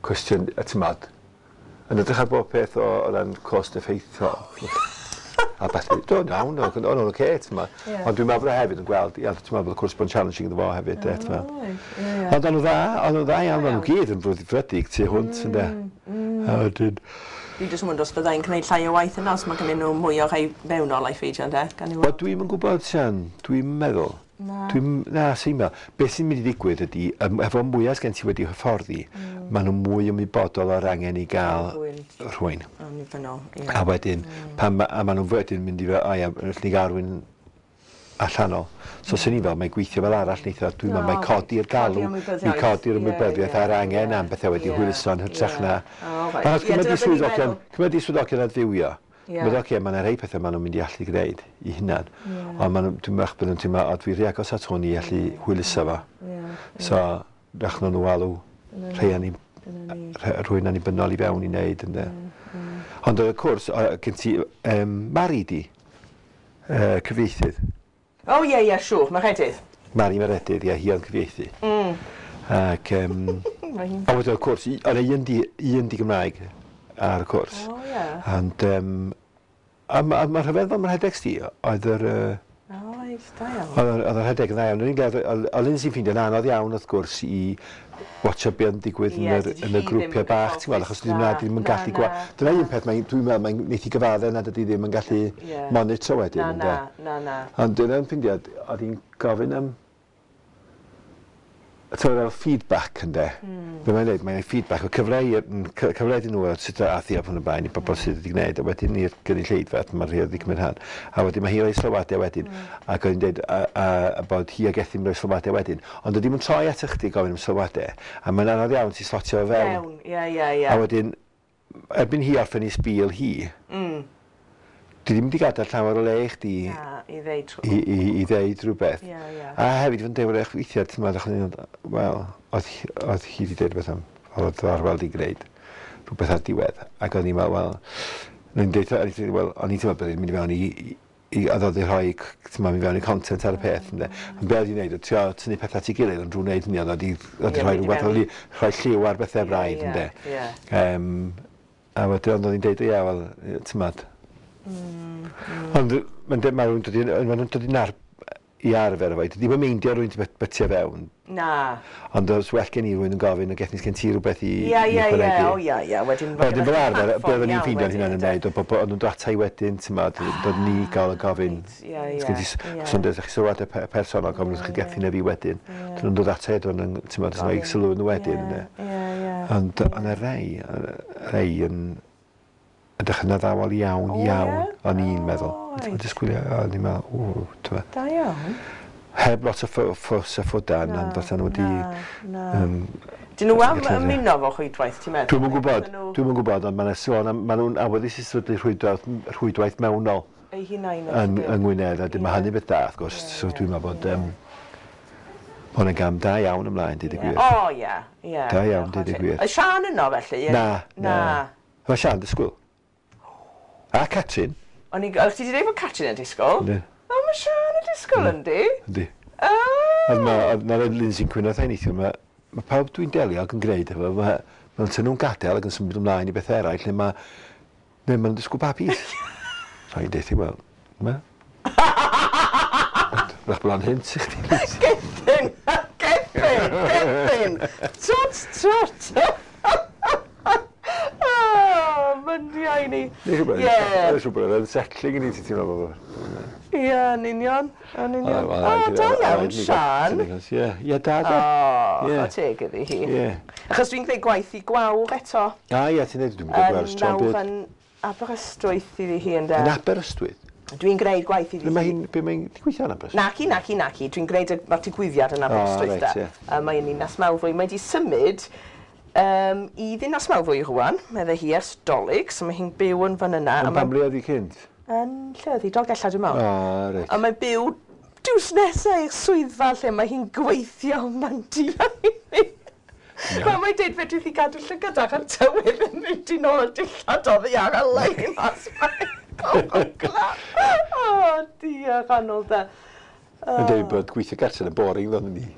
cwestiwn, y tymad, yn edrych ar bob peth o ran cost effeithiol. A beth, do, iawn, o'n nhw'n oce, ti'n ma. Ond dwi'n meddwl hefyd yn gweld, ia, dwi'n meddwl bod y cwrs bod yn challenging iddo fo hefyd, ti'n ma. Ond o'n nhw dda, o'n nhw dda iawn, o'n nhw gyd yn frwdfrydig tu hwnt, ynde. A wedyn... Dwi jyst yn wondro os byddai'n gwneud llai o waith yna, os mae gennyn nhw mwy o rhai mewnol ai pheidio, ynde? Wel, dwi'm yn gwybod, Sian, dwi'n meddwl. Na. Dwi'n, na, sy'n meddwl. Beth sy'n mynd i ddigwydd ydy, efo mwyaf gen ti wedi hyfforddi, mm. maen nhw mwy ymwybodol o'r angen i gael rhywun. Annibynnol, ie. A wedyn, mm. pan ma, a maen nhw wedyn mynd i fel, o ia, allwn ni gael rhywun allanol. So mm. sy'n ni fel, mae'n gweithio fel arall neitha, dwi'n meddwl, mae'n codi'r galw, i codi'r ymwybyddiaeth a'r angen am bethau wedi hwyluso yn hytrach na. Achos cymryd i swyddogion, cymryd i swyddogion adfywio. Yeah. Mae'n oce, mae yna rhai pethau maen nhw'n mynd i allu gwneud i hunan. Yeah. Ond maen nhw, dwi'n meddwl bod nhw'n teimlo, o, dwi rhy agos at hwn i allu hwyluso fo. Yeah. So, rach nhw alw rhai ani, rhywun annibynnol i fewn i wneud. Ynde. Yeah. Ond oedd y cwrs, gen ti um, Mari di, uh, cyfieithydd. O, oh, ie, ie, siŵr, Meredydd. Mari Meredydd, ie, hi oedd cyfieithu. Mm. Ac, um, a wedyn oedd cwrs, oedd un di, un di Gymraeg ar y cwrs. Oh, yeah. And, um, a, a mae'r rhyfedd fel mae'r rhedeg sti, oedd yr... Oedd, da iawn. Oedd yr rhedeg yn dda iawn. Oedd un sy'n ffeindio'n anodd iawn, wrth gwrs, i watcha be yn digwydd yn yr, yn y grwpiau bach, ti'n gweld, achos ddim, na, ddim yn gallu gweld. Dyna un peth, dwi'n meddwl, mae'n neith i gyfadde nad ydy ddim yn gallu monitro wedyn. Na, na, na, na. Ond dyna'n ffeindio, oedd hi'n gofyn am ti'n fel feedback ynde. Mm. Be mae'n dweud, mae'n feedback o cyfle cyfle iddyn nhw sut ath i hwn y blaen i bobl sydd wedi gwneud, a wedyn i'r gynulleidfa, mae'r rhai wedi cymryd rhan. A wedyn mae hi roi sylwadau wedyn, mm. ac oedd hi'n dweud a, a, a bod hi ag Gethin roi sylwadau wedyn. Ond ydy yn troi at chdi gofyn am sylwadau, a mae'n anodd iawn ti slotio o fewn. Fewn, ie, ie, ie. A wedyn, erbyn hi orffen i sbîl hi, mm. Dwi ddim wedi gadael llawer o le i chdi Na, i ddeud i, i, i ddeud rhywbeth. Ie, ie. A hefyd, fy dewrach weithiau, ti'n meddwl, wel, oedd, oedd hi wedi dweud rhywbeth am, oedd Arwel wedi gwneud rhywbeth ar diwedd. Ac o'n i'n meddwl, wel, o'n i'n deud, wel, o'n i'n teimlo bod i'n mynd i fewn i, i, oedd oedd i rhoi, ti'n meddwl, fewn i content ar y peth, ynde. Ond be oedd i'n neud, oedd trio tynnu pethau at ei gilydd, ond drwy wneud hynny, oedd oedd i rhoi rhywbeth, oedd i rhoi lliw ar bethau braidd, ynde. Ie, Um, a wedyn ond oedd hi'n deud, ie, wel, ti'n meddwl. Mm, mm. Ond mae'n ma nhw'n dod i, ma nhw'n dod i nar, i arfer efo, ddim yn meindio rhywun ti'n bytio fewn. Na. Ond os well gen i rhywun yn gofyn, o gethni gen ti rhywbeth i Ie, ie, ie, o ie, ie, wedyn... Wedyn fel arfer, be oedden ni'n ffeindio'n hunan yn neud, oedd nhw'n dod ata i wedyn, ti'n ma, dod ni gael y gofyn. Ie, ie, ie. Os ond chi sylwadau personol, gofyn wrth chi gethni na fi wedyn. Dyn nhw'n dod ata i, ti'n ma, dyn nhw'n sylw nhw wedyn. Ie, ie. Ond yna rei, rei yn... Ydych yn addawol iawn, oh, iawn, yeah? O'n i'n meddwl. Oh, Ti'n disgwylio, o'n i'n meddwl, ww, ti'n meddwl. Da iawn. Heb lot o ffws a ffwdan, ond fatha nhw wedi... Na, na. Um, Dyn nhw am ymuno fo rhwydwaith, ti'n meddwl? Dwi'm yn gwybod, dwi'm yn gwybod, ond mae'n sôn am, maen nhw'n awyddus i sefydlu rhwydwaith, rhwydwaith mewnol. Ei hunain. Yn, yng Ngwynedd, a dim yeah. Hynny beth da, wrth gwrs, yeah, so dwi'n meddwl bod... Um, Hwn yn gam da iawn ymlaen, dweud y gwir. O, ie, ie. Da iawn, dweud y gwir. Oedd Sian yno, felly? Na, na. Mae Sian disgwyl. A Catrin. O'n i... O'ch ti wedi dweud bod Catrin yn disgwyl? Yndi. O, mae Sian yn disgwyl, yndi? Yndi. O! Ond mae... Na'r Lindsay'n cwyno wrtha i neithiwr, mae ma pawb dwi'n delio ac yn gwneud efo, mae ma nhw'n gadael ac yn symud ymlaen i beth eraill, neu mae... Neu maen nhw'n disgwyl babis. Rhaid deud i, wel, ma. Rhaid bod o'n hint i chdi, Lindsay. Gethin! Gethin! Gethin! Twt, twt! Myndiau ni. Ie. Mae'n siŵr bod yn unsettling i ni, ti'n teimlo bod. Ie, yn union. Yn union. O, da iawn, Sian. Ie, ie, da, da. O, o teg iddi hi. Ie. Achos dwi'n gwneud gwaith i Gwawr eto. A, ie, ti'n neud, dwi'n gwneud gwaith ers tro'n byd. Yn Aberystwyth iddi hi, ynde. Yn Aberystwyth? Dwi'n gwneud gwaith iddi hi. Mae hi'n, be mae'n gweithio yn Aberystwyth? Naci, naci, naci. Dwi'n gwneud y digwyddiad yn Aberystwyth, da. Mae'n Ninas Mawddwy. Mae di symud Um, i Ddinas Mawddwy rŵan, meddai hi ers Dolig, so mae hi'n byw yn fan yna. Yn pam ble oedd hi cynt? Yn lle oedd hi, Dolgellau dwi'n meddwl. O, reit. A mae'n byw drws nesaf i'r swyddfa lle mae hi'n gweithio mandiau i ni. Wel, mae'n deud fedrith hi gadw llygad ar y tywydd yn mynd i nôl y dillad oddi ar y lein os mae'n gogla. O, diolch annwl da. Mae'n deud bod gweithio gartre yn boring ddod ni.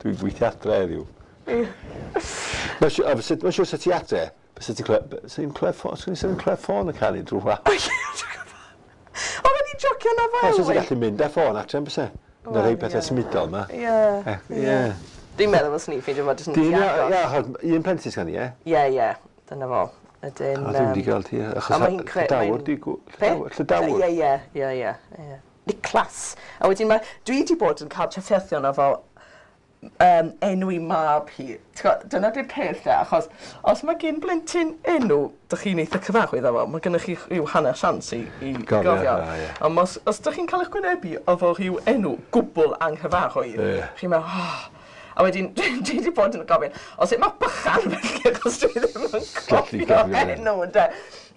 Dwi'n gweithio adre heddiw. Mae'n siŵr sa ti adre, bysa ti'n clywed ffôn, swn i'n clywed ffôn yn canu drwy wal. Oedd hi'n jocio na fel? Os ti'n gallu mynd â ffôn adre, bysa? Na rhai pethau symudol yma. Ie. Ie. Dwi'n meddwl fyswn i'n ffeindio fod jyst yn diagos. Ie, achos un plentyn sgan i, ie? Ie, ie. Dyna fo. Ydyn... O, dwi'n wedi gael ti, achos Llydawr, Llydawr. Ie, ie, ie, ie. Niclas. A wedyn mae... Dwi wedi bod yn cael trafferthion efo um, enw i mab hi. Dyna di'r peth de, achos os mae gen blentyn enw, dych chi'n eitha cyfarwydd efo, mae gennych chi rhyw hanner sians i, i gofio. gofio. Ah, yeah. Ond os, os dych chi'n cael eich gwynebu efo rhyw enw gwbl anghyfarwydd, yeah. Chi'n meddwl, oh. A wedyn, dwi wedi bod yn gofyn, os mae bychan felly, achos dwi ddim yn cofio enw, ynde.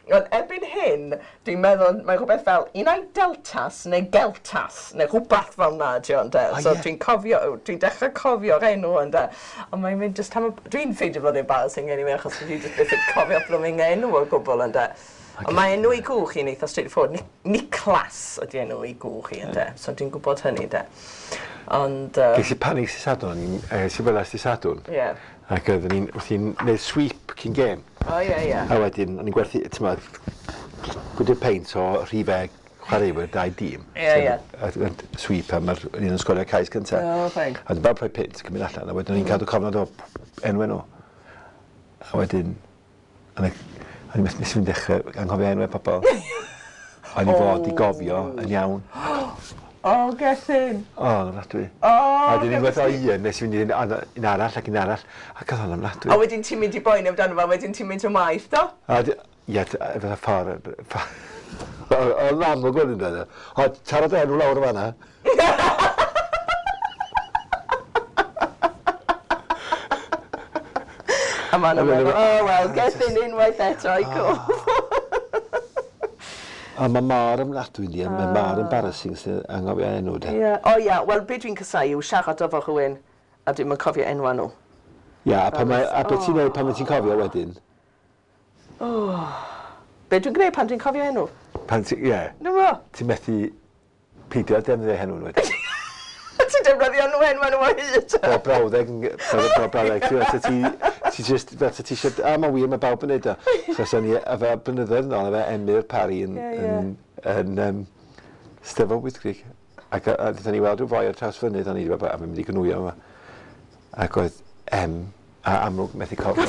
Ond erbyn hyn, dwi'n meddwl, mae rhywbeth fel un ai Deltas neu Geltas, neu rhywbeth fel na, ti ynde. Oh, so yeah. Dwi'n cofio, dwi'n dechrau cofio'r enw, ynde. Ond mae'n mynd just am... Dwi'n ffeindio fod embarrassing anyway, achos dwi just byth yn cofio blooming enw o gwbl, ynde. Okay. Ond mae enw i gwch hi'n eitha straightforward. Niclas ydy enw i gwch hi, ynde. So dwi'n gwybod hynny, ynde. Ond... Uh, Ges i panig sy Sadwrn, es i welas dy Sadwrn. Ie. Yeah. Ac oedden ni'n wrthi'n neud sweep cyn gêm. O, ie, ie. A wedyn, o'n i'n gwerthu, ti'n meddwl, gwydr peint o rhifau chwaraewyr dau dîm. Ie, ie. Sweep, a mae'r un yn sgorio cais cyntaf. O, fine. A wedyn bawb rhoi peint yn mynd allan, a wedyn o'n i'n cadw cofnod o enwau nhw. A wedyn, o'n i'n nes i'n dechrau anghofio enwau pobl. O'n i fod i gofio yn iawn. O, Gethin! O, yn ofnadwy. O, A wedyn unwaith o un, nes i fynd i un arall ac un arall, ac oedd o'n ofnadwy. A wedyn ti'n mynd i boeni amdano fo, wedyn ti'n mynd yn waith, do? A ie, fatha ffordd... O'n amlwg wedyn, dod. O, taro dy enw lawr o fan'na. A ma'n meddwl, o, wel, Gethin unwaith eto i gof. A mae mor ymladwy ni, a mae mor embarrassing sy'n anghofio enw, de. Ie. O ia, wel, be dwi'n casáu yw siarad efo rhywun a dwi'm yn cofio enwa nhw. Ia, a pan mae, a beth ti'n neud pan ti'n cofio wedyn? Be dwi'n gwneud pan dwi'n cofio enw? Pan ti, ie, Dwi'n mo. Ti'n methu peidio defnyddio henw nhw wedyn. Ti'n defnyddio nhw enwa nhw o hyd. Bob brawddeg, yn- bob bob brawddeg, ti'n fel ti, ti just, fel ti eisiau, a mae'n wir, mae bawb yn neud o. Chos o'n i, efo blynyddoedd yn ôl, efo Emyr Parry yn, Ie, ie. yn, yn, um, Steddfod Wyddgrug. Ac a, a ddaethon ni weld rhyw foi ar traws fynydd, o'n i wedi bod, a mae'n mynd i gnwyo yma. Ac oedd M, a amlwg methu cofio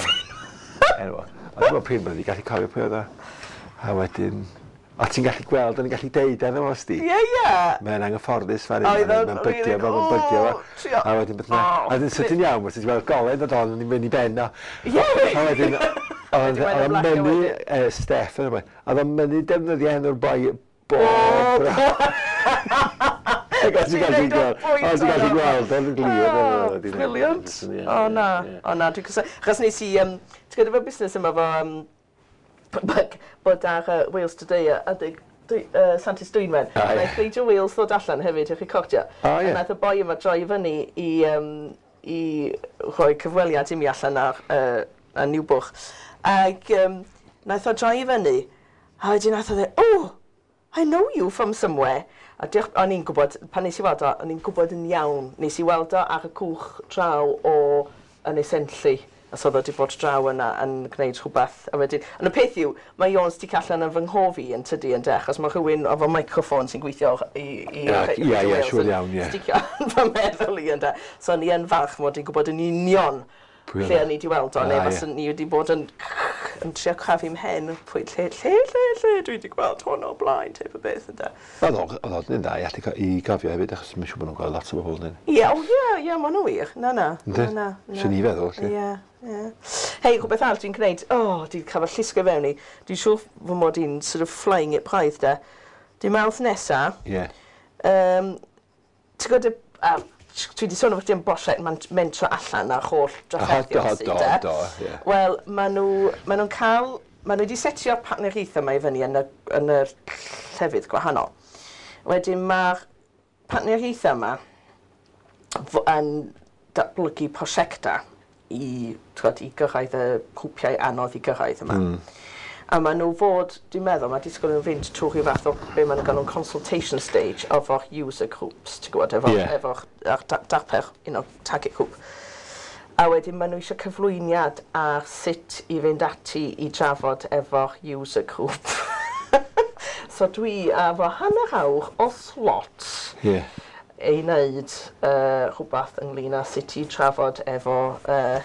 enw. A dwi'n meddwl pryd bod wedi gallu cofio pwy oedd o. A wedyn, a ti'n gallu gweld, o'n i'n gallu deud efo fo, sti. Ie, ie. Mae'n anghyfforddus fan hyn, Oedd o'n mae'n bygio really- fo, mae'n bygio O, fo. trio. A wedyn beth na. O, A wedyn sydyn iawn, wrth ti'n gweld golau dod on, yn mynd i ben o. Ie. A wedyn, oedd Wedyn mae'n o'n ymlacio mynnu, wedyn. eh, Steff yn y oedd o'n mynnu defnyddio enw'r boi bob. Ac os ti'n gallu gweld, os ti'n gallu gweld, o'n glir. Oh, brilliant. O na, o na, dwi'n cysau. Achos nes i, um, ti'n gwybod efo busnes yma fo, um, bod ar uh, Wales Today a adeg dwy- uh, Santes Dwynwen. Ah, ie. Naeth Radio Wales ddod allan hefyd i recordio. Ah, ie. A naeth y boi yma droi fyny i, um, i rhoi cyfweliad i mi allan ar, uh, ar Niwbwch. Ac um, naeth o droi fyny, a wedyn naeth o dweud, "Oh, I know you from somewhere." A diolch, o'n i'n gwybod, pan nes i weld o, o'n i'n gwybod yn iawn. Nes i weld o ar y cwch draw o Ynys Enlli. A so oedd o wedi bod draw yna yn gwneud rhywbeth. A wedyn, ond y peth yw, mae o'n sticio allan yn fy nghof i yn tydi yn de, achos mae rhywun efo microffon sy'n gweithio i... i Ie, ie, ie, siŵr iawn, ie. Sticio yn fy meddwl i yn de. So o'n i yn falch mod i'n gwybod yn union Pwy oedd lle e? o'n i wedi weld o, Ah, neu ie. faswn ni wedi bod yn, yn trio crafu mhen, pwy, lle, lle, lle, lle, dwi wedi gweld hwn o'r blaen, teip o beth, ynde. Oedd o- oedd o'n dda i allu co- i gofio hefyd, achos mae'n siŵr bod nhw'n gweld lot o bobl yn. Ie, o ie, ie, ma' nhw wir. Na, na. Yndi? Na, na. na. Swn i feddwl, lly. Ie, ie. Hei, rhywbeth arall dwi'n gwneud, o, oh, dwi'n cael fy llusgo fewn i. Dwi'n siŵr fy mod i'n sort of flying it braidd, de. Dwi'n Mawrth nesa, Ie. um, ti'n gwybod, y- a, dwi wedi sôn am chdi am brosiect man- mentro allan a'r holl drafferthion Do, sydd, do, de. do, ie. Wel, maen nhw, maen nhw'n cael, maen nhw wedi setio'r partneriaethau yma i fyny yn y, yn y llefydd gwahanol. Wedyn mae'r partneriaethau yma fo- yn datblygu prosiectau i, t'god, i gyrraedd y grwpiau anodd i gyrraedd yma. Mm. A maen nhw fod, dwi'n meddwl, mae disgwyl nhw fynd trwy rhyw fath o be maen nhw'n galw'n consultation stage efo'r user groups, ti'n gwybod, efo'r Ie. efo ar da- darper, you know, target group. A wedyn maen nhw eisiau cyflwyniad ar sut i fynd ati i drafod efo'r user group. So dwi efo hanner awr o slot Ie. ei wneud uh, rhywbeth ynglyn â sut i trafod efo uh,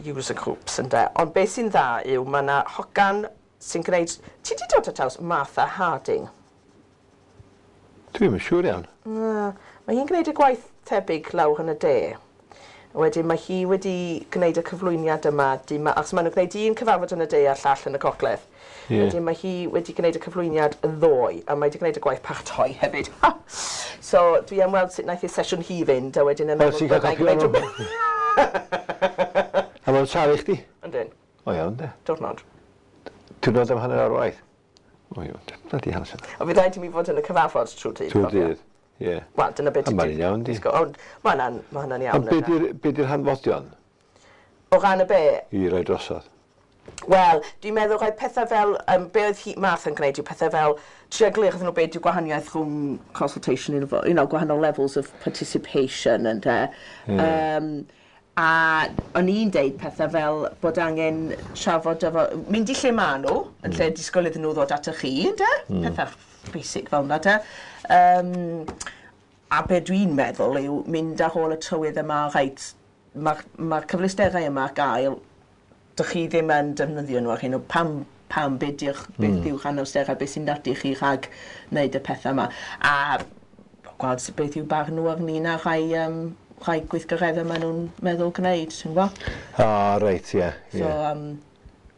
user groups ynde. Ond beth sy'n dda yw mae yna hogan sy'n gwneud. Ti di dod at draws Martha Harding? Dwi'm yn siŵr iawn. Na, mae hi'n gwneud y gwaith tebyg lawr yn y de. Wedyn mae hi wedi gwneud y cyflwyniad yma, di ma, achos maen nhw'n gwneud un cyfarfod yn y de a'r llall yn y gogledd. Ie. Wedyn mae hi wedi gwneud y cyflwyniad ddoe, a mae wedi gwneud y gwaith paratoi hefyd. So dwi am weld sut wnaeth ei sesiwn hi fynd, a wedyn yn O, ti'n cael byddai'n copi o'n gwneud nhw? rhywbeth. A mae'n talu chdi? Yndyn, O iawn, de. diwrnod. Diwrnod am hanner awr waith. O iawn, de. Bloody hell. sy'n- A fydd rhaid i mi fod yn y cyfarfod trwy dydd. Trwy'r cofio. dydd. Ie. Wel, dyna beth A mae'n iawn, di. Ond mae hwnna'n ma hwnna'n iawn. Ond be yna. di'r be di'r hanfodion O ran y be? I roi drosodd? Wel, dwi'n meddwl rhoi pethau fel, um, be oedd hi, Martha yn gwneud yw pethau fel, trio glir iddyn nhw beth yw gwahaniaeth rhwng consultation, you know, gwahanol levels of participation, and, uh, yeah. um, a o'n i'n deud pethau fel bod angen trafod efo, mynd i lle ma nhw, yn lle disgwyl iddyn nhw ddod atoch chi, ynde? Mm. Pethau basic fel yna, de. Um, a be dwi'n meddwl yw mynd ar ôl y trywydd yma, reit, mae'r ma cyfleusterau yma ar gael, dych chi ddim yn defnyddio nhw ar hyn o pam, pam beth yw'ch beth yw'ch anawsterau, beth sy'n nadu chi rhag wneud y pethau yma. A gweld sut beth yw barn nhw ynglyn â rhai, um, rhai gweithgareddau maen nhw'n meddwl gwneud, ti'n gwybod? O, reit, ie. So, ie. um,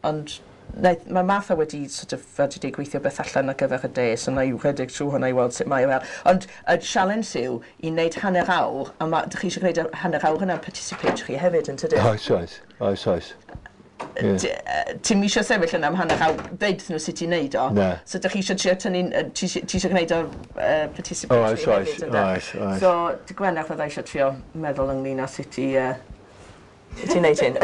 ond naeth- mae Martha wedi sort of, fel ti 'di gweithio beth allan ar gyfer y de, so na i rhedeg trwy hwnna i weld sut mae o fel. Ond y challenge yw i wneud hanner awr, a ma, dych chi eisiau gwneud y hanner awr yna participate chi hefyd, yn tydych? Oes, oes. Oes, oes. Ie. Ti'n eisiau sefyll yna am hanner awr, ddeud wrthyn nhw sut i wneud o. Na. So dych chi eisiau trio tynnu, yy, ti eisiau ti eisiau gwneud o uh, participatory Oes, oes, hefyd, ynde? oes, oes. So, dy Gwenach fydda eisiau trio meddwl ynglyn â sut i, uh, sut i wneud hyn.